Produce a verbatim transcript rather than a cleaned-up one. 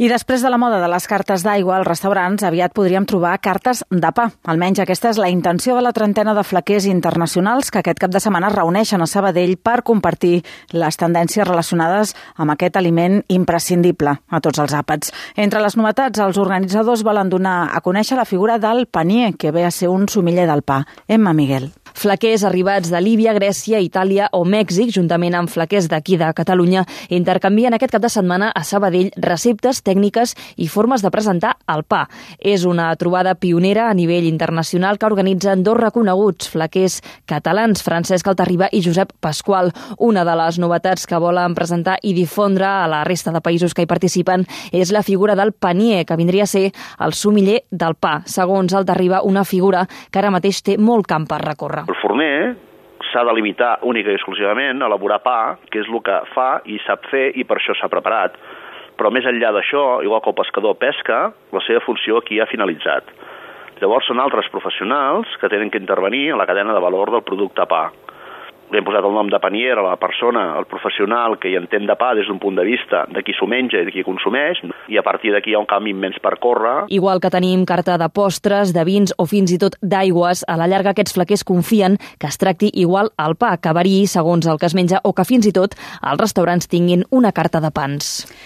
I després de la moda de les cartes d'aigua, als restaurants aviat podríem trobar cartes de pa. Almenys aquesta és la intenció de la trentena de flequers internacionals que aquest cap de setmana es reuneixen a Sabadell per compartir les tendències relacionades amb aquest aliment imprescindible a tots els àpats. Entre les novetats, els organitzadors volen donar a conèixer la figura del panier, que ve a ser un sumiller del pa. Emma Miguel. Flequers arribats de Líbia, Grècia, Itàlia o Mèxic, juntament amb flequers d'aquí de Catalunya, intercanvien aquest cap de setmana a Sabadell receptes, tècniques i formes de presentar el pa. És una trobada pionera a nivell internacional que organitzen dos reconeguts flequers catalans, Francesc Altarriba i Josep Pasqual. Una de les novetats que volen presentar i difondre a la resta de països que hi participen és la figura del panier, que vindria a ser el sumiller del pa. Segons Altarriba, una figura que ara mateix té molt camp per recórrer. El forner s'ha de limitar única i exclusivament a elaborar pa, que és el que fa i sap fer i per això s'ha preparat. Però més enllà d'això, igual que el pescador pesca, la seva funció aquí ha finalitzat. Llavors són altres professionals que tenen que intervenir en la cadena de valor del producte pa. Li hem posat el nom de panier a la persona, el professional que hi entén de pa des d'un punt de vista de qui s'ho menja i de qui consumeix, i a partir d'aquí hi ha un camí immens per córrer. Igual que tenim carta de postres, de vins o fins i tot d'aigües, a la llarga aquests flequers confien que es tracti igual al pa, que variï segons el que es menja o que fins i tot els restaurants tinguin una carta de pans.